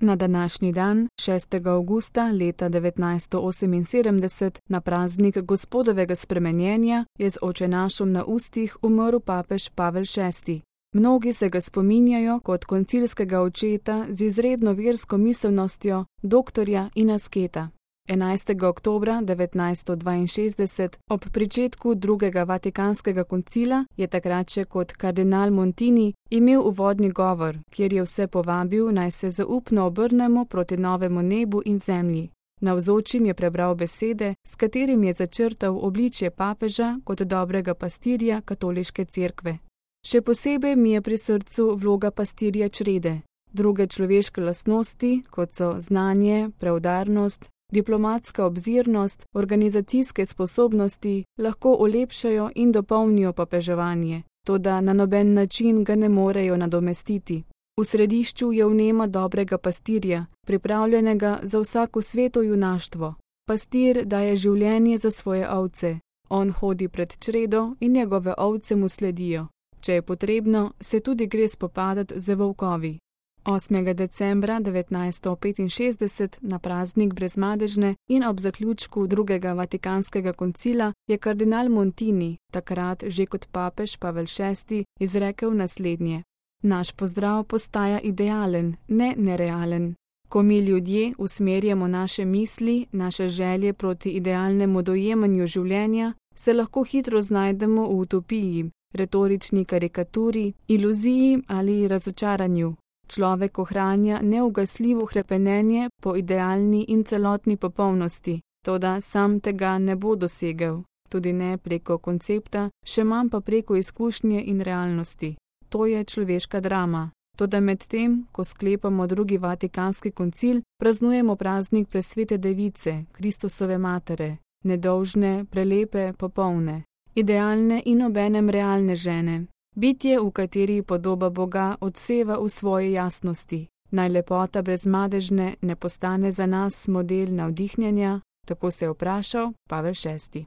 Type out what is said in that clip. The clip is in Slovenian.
Na današnji dan, 6. avgusta leta 1978, na praznik Gospodovega spremenjenja, je z očenašom na ustih umrl papež Pavel VI. Mnogi se ga spominjajo kot koncilskega očeta z izredno versko miselnostjo, doktorja in asketa. 11. oktobra 1962, ob pričetku drugega vatikanskega koncila, je takrat še kot kardinal Montini imel uvodni govor, kjer je vse povabil, naj se zaupno obrnemo proti novemu nebu in zemlji. Navzočim je prebral besede, s katerim je začrtal obličje papeža kot dobrega pastirja katoliške cerkve. Še posebej mi je pri srcu vloga pastirja črede. Druge človeške lastnosti, kot so znanje, preudarnost, diplomatska obzirnost, organizacijske sposobnosti, lahko olepšajo in dopolnijo papeževanje, toda na noben način ga ne morejo nadomestiti. V središču je vnema dobrega pastirja, pripravljenega za vsako sveto junaštvo. Pastir daje življenje za svoje ovce. On hodi pred čredo in njegove ovce mu sledijo. Če je potrebno, se tudi gre spopadati z volkovi. 8. decembra 1965, na praznik Brezmadežne in ob zaključku drugega vatikanskega koncila, je kardinal Montini, takrat že kot papež Pavel VI, izrekel naslednje: Naš pozdrav postaja idealen, ne nerealen. Ko mi ljudje usmerjamo naše misli, naše želje proti idealnemu dojemanju življenja, se lahko hitro znajdemo v utopiji, retorični karikaturi, iluziji ali razočaranju. Človek ohranja neugasljivo hrepenenje po idealni in celotni popolnosti, toda sam tega ne bo dosegel, tudi ne preko koncepta, še manj pa preko izkušnje in realnosti. To je človeška drama. Toda med tem, ko sklepamo drugi vatikanski koncil, praznujemo praznik presvete device, Kristusove matere, nedolžne, prelepe, popolne, idealne in obenem realne žene. Bitje, v kateri podoba Boga odseva v svoji jasnosti. Naj lepota Brezmadežne ne postane za nas model navdihnjenja, tako se je vprašal Pavel VI.